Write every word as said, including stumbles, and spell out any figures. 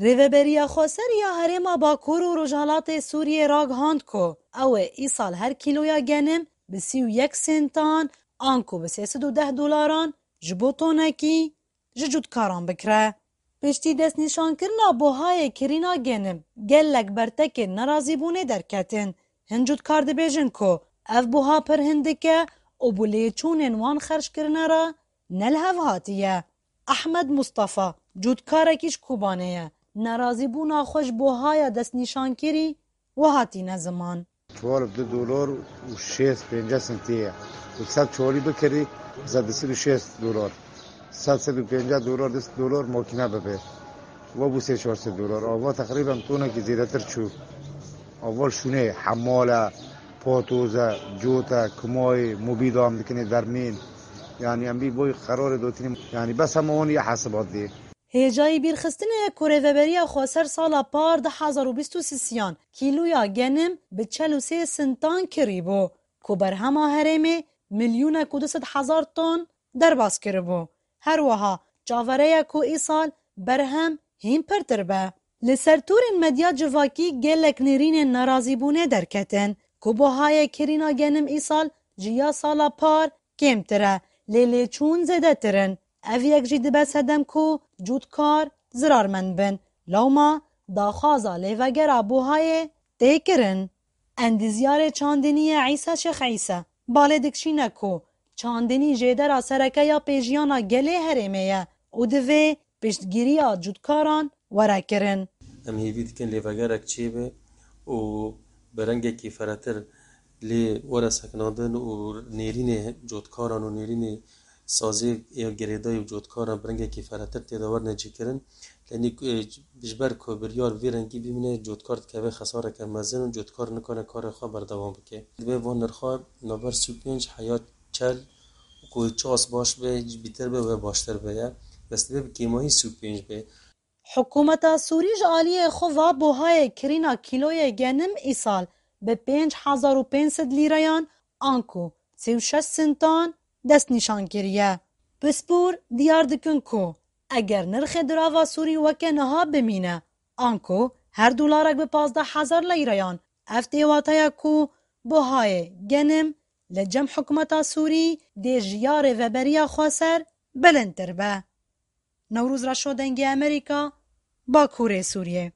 Rêveberiya Xweser ya Herêma Bakur û Rojhilatê Sûriyê ragihand ku ew ê îsal her kîloya genim bi sî û yek sentan anku bi sê sed û deh dolaran ji bo tonekî ji cotkaran bikire. Piştî destnîşankirina buhayê kirîna genim, gelek bertekên nerazîbûnê derketin. Hin cotkar dibêjin ku ev buha pir hindik e û bi lêçûnên wan xerckirinê re ne li hev hatiye. Ehmed Mustafa, cotkarekî ji Kobanê ye, nerazîbûna xwe ji buhaya destnîşankirî wiha tîne ziman. Çuwal bi du dolar û şêst pênceh sentî ye. Tu sed çuwalî bikirî, zêde sed û şêst dolar. Sed, sed û pênceh dolar, du sed dolar makîne bibe. Ve bû sê çar sed dolar. Ava teqrîben tonekî zêdetir çû. Ava şûnê, hemal e, patoz e, cot e, kumayê, mobîda em dikinê dermên. Yani em bî boy qerarê dotînê. Yani bes hema wan ya hesibat dê. Hêjayî bîrxistinê ye ku Rêveberiya Xweser sala par du hezar û bîst û sisiyan kîloya genim bi çel û sê sintan kirî bû, ku berhema herêmê milyûnek û du sed hezar ton derbas kiribû. Her wiha çavereye ku îsal berhem hîn pirtir be. Li ser torên medya civakî gelek nêrînên nerazîbûnê derketin, ku buhayê kirîna genim îsal ji ya sala par kêmtir e, lê lêçûn zêdetir in. Ev yek jî dibe sedem ku cûtkar zirarmend bin. Lewma daxwaza lêvegera buhayê tê kirin. Endîzyarê çandiniyê Îsa Şêx Îsa balê dikişîne ku çandinî jêdera sereke ya pêjiyana gelê herêmê ye û divê piştgiriya cûtkaran were kirin. Em hêvî dikin lêvegerek çêbe û bi rengekî ferehtir lê were sekinandin û nêrînê cotkaran û nêrînê sazê ya girêdayî û cotkaran bi rengekî ferehtir tê de werine cîkirin. Lenî, e, ji ber ku biryar vê rengî bimîne, cotkar dikeve xesareke mezin û cotkar nikane karê xwe berdewam bike. Divê van nirxa navber sî û pênc heya çel ku ças baş be, bîtir be we baştir be ye. Bes divê bi kêmahî sî û pênc be. Hikûmeta Sûrî ji aliyê xwe va buhayê kirîna kîloyê genim îsal bi pênc hezar û pênc sed lîreyan anku sî û şeş sintan destnîşan kiriye. Pispor diyar dikin ku eger nirxê dirava Sûrî weke niha bimîne, anku her dolarek bi pazdeh hezar leyreyan, ev tê wateya ku buhayê genim li cem hikûmeta Sûrî dê ji ya Rêveberiya Xweser bilindtir be. Newroz Reşo, Dengê Amerîka, Bakurê Sûriyê.